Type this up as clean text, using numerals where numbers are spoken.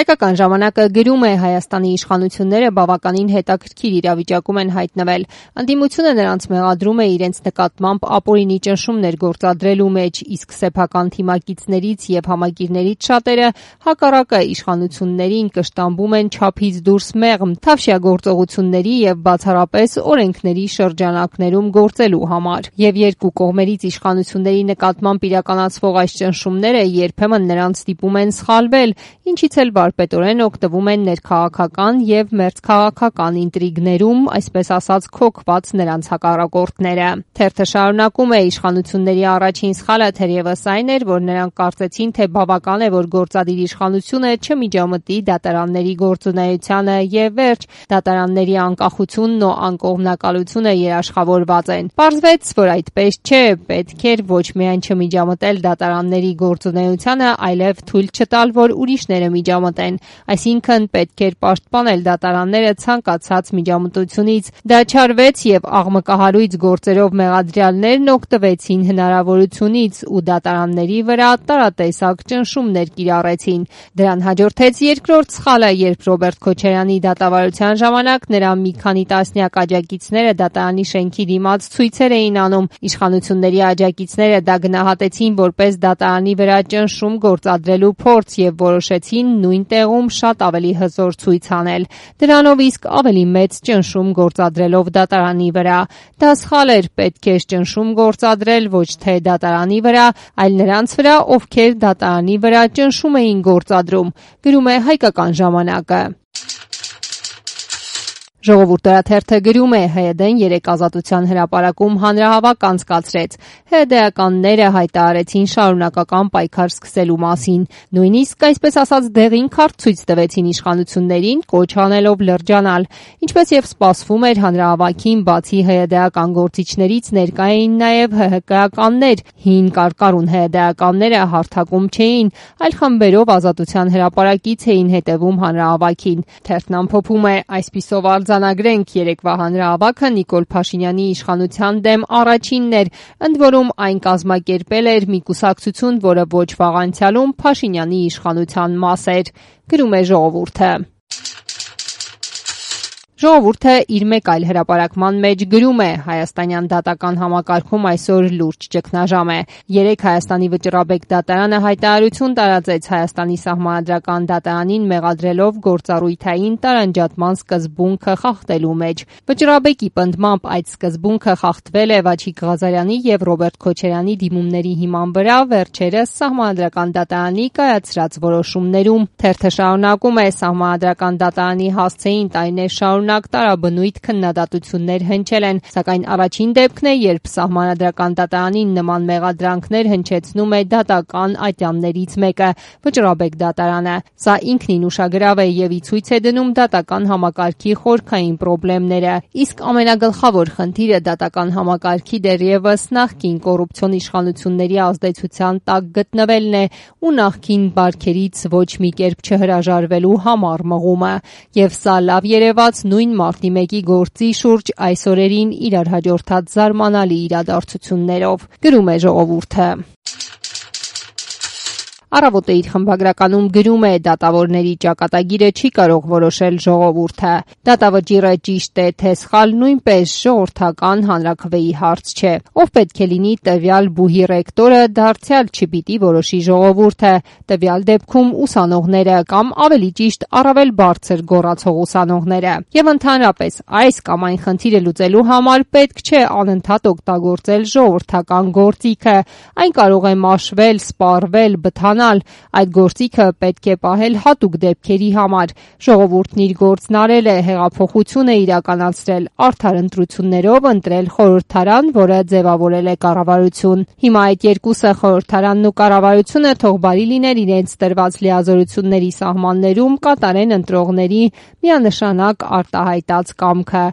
Հայկական ժամանակը գրում է Հայաստանի իշխանությունները բավականին հետաքրքիր իրավիճակում են հայտնվել։ Ընդդիմությունը նրանց մեղադրում է իրենց նկատմամբ ապօրինի ճնշումներ գործադրելու մեջ, իսկ սեփական թիմակիցներից եւ համակիրներից շատերը հակառակը իշխանություններին կշտամբում են չափից դուրս մեղմ, թավշյա գործողությունների եւ բացառապես օրենքների շրջանակներում գործելու համար։ Եվ երկու կողմերից իշխանությունների նկատմամբ իրականացվող այս ճնշումները երբեմն նրանց ստիպում են սխալվել, ինչից էլ վարպետորեն օգտվում են ներքաղաքական եւ մերձքաղաքական ինտրիգներում, այսպես ասած քոքված նրանց հակառակորդները։ Թերթը շարունակում է իշխանությունների առաջին սխալը թերևս այն էր, որ նրանք կարծեցին, թե բավական է, որ գործադիր իշխանությունը չմիջամտի դատարանների գործունեությանը եւ վերջ, դատարանների անկախությունն ու անկողմնակալությունը երաշխավորված են։ Պարզվեց, որ այդպես չէ, պետք էր ոչ միայն չմիջամտել դատարանների գործունեությանը, այլև թույլ չտալ, որ ուրիշները միջամտեն, այսինքն պետք էր պաշտպանել դատարանները ցանկացած միջամտությունից։ Դա չարվեց եւ աղմկահարույց գործերով մեղադրյալներն օգտվեցին հնարավորությունից ու դատարանների վրա տարատեսակ ճնշումներ կիրառեցին։ Դրան հաջորդեց երկրորդ սխալը, երբ Ռոբերտ Քոչարյանի դատավարության ժամանակ նրա մի քանի տասնյակ աջակիցները դատարանի շենքի դիմաց ցույցեր էին անում։ Իշխանությունների աջակիցները դա գնահատեցին որպես դատարանի վրա ճնշում գործադրելու փորձ եւ որոշեցին նույն տեղում շատ ավելի հզոր ցույց անել, դրանով իսկ ավելի մեծ ճնշում գործադրելով դատարանի վրա։ Դա սխալ էր, պետք էր ճնշում գործադրել ոչ թե դատարանի վրա, այլ նրանց վրա, ովքեր դատարանի վրա ճնշում էին գործադրում, գրում է Հայկական ժամանակը։ Ժողովուրդ օրաթերթը գրում է ՀՅԴ-ն 3 ազատության հրապարակում հանրահավաք անցկացրեց։ ՀՅԴ-ականները հայտարարեցին շարունակական պայքար սկսելու մասին։ Նույնիսկ, այսպես ասած, դեղին քարտ ցույց տվեցին իշխանություններին, կոչ անելով լրջանալ։ Ինչպես եւ սպասվում էր, հանրահավաքին բացի ՀՅԴ-ական գործիչներից ներկա էին նաեւ ՀՀԿ-ականներ։ Հին կարկառուն ՀՅԴ-ականները հարթակում չէին, այլ խմբերով ազատության հրապարակից էին հետևում հանրահավաքին։ Թերթն ամփոփում է. այսպիսով արձանագրենք երեկվա հանրահավաքը Նիկոլ Փաշինյանի իշխանության դեմ առաջինն էր, ընդ որում այն կազմակերպել էր մի կուսակցություն, որը ոչ վաղ անցյալում Փաշինյանի իշխանության մաս էր, գրում է Ժողովուրդը։ Ժողովուրդը իր մեկ այլ հրապարակման մեջ գրում է. Հայաստանյան դատական համակարգում այսօր լուրջ ճգնաժամ է։ Երեկ Հայաստանի վճռաբեկ դատարանը հայտարարություն տարածեց Հայաստանի սահմանադրական դատարանին մեղադրելով գործառույթային տարանջատման սկզբունքը խախտելու մեջ։ Վճռաբեկի պնդմամբ այդ սկզբունքը խախտվել է Վաչիկ Ղազարյանի եւ Ռոբերտ Քոչարյանի դիմումների հիման վրա վերջերս սահմանադրական դատարանի կայացրած որոշումներում։ Թերթը շարունակում է. սահմանադրական դատարանի հասցեին տարիներ շարունակ տարաբնույթ քննադատություններ հնչել են, սակայն առաջին դեպքն է, երբ սահմանադրական դատարանին նման մեղադրանքներ հնչեցնում է դատական ատյաններից մեկը՝ վճռաբեկ դատարանը։ Սա ինքնին ուշագրավ է եւ ի ցույց է դնում դատական համակարգի խորքային խնդիրները։ Իսկ ամենագլխավոր խնդիրը դատական համակարգի դեռևս նախկին կոռուպցիոն իշխանությունների ազդեցության տակ գտնվելն է ու նախկին բարքերից ոչ մի կերպ չհրաժարվելու համառ մղումը։ Եվ սա լավ երևաց նույն մարտի 1-ի գործի շուրջ այս օրերին իրար հաջորդած զարմանալի իրադարձություններով, գրում է Ժողովուրդը։ Առավոտը իր խմբագրականում գրում է. դատավորների ճակատագիրը չի կարող որոշել Ժողովուրդը։ Դատավճիռը ճիշտ է թե սխալ նույնպես ժողովրդական հանրաքվեի հարց չէ։ Ով պետք է լինի տվյալ բուհի ռեկտորը, դարձյալ չպիտի որոշի Ժողովուրդը, տվյալ դեպքում ուսանողները կամ ավելի ճիշտ առավել բարձր գոռացող ուսանողները։ Եվ ընդհանրապես այս կամ այն խնդիրը լուծելու համար պետք չէ անընդհատ օգտագործել ժողովրդական գործիքը։ Այն կարող է մաշվել, սպառվել, բթանալ։ Այդ գործիքը պետք է պահել հատուկ դեպքերի համար։ Ժողովուրդն իր գործն արել է, հեղափոխություն է իրականացրել, արդար ընտրություններով ընտրել խորհրդարան, որը ձևավորել է կառավարություն։ Հիմա այդ երկուսը, խորհրդարանն ու կառավարությունը, թող բարի լիներ իրենց տրված լիազորությունների սահմաններում կատարեն ընտրողների միանշանակ արտահայտած կամքը։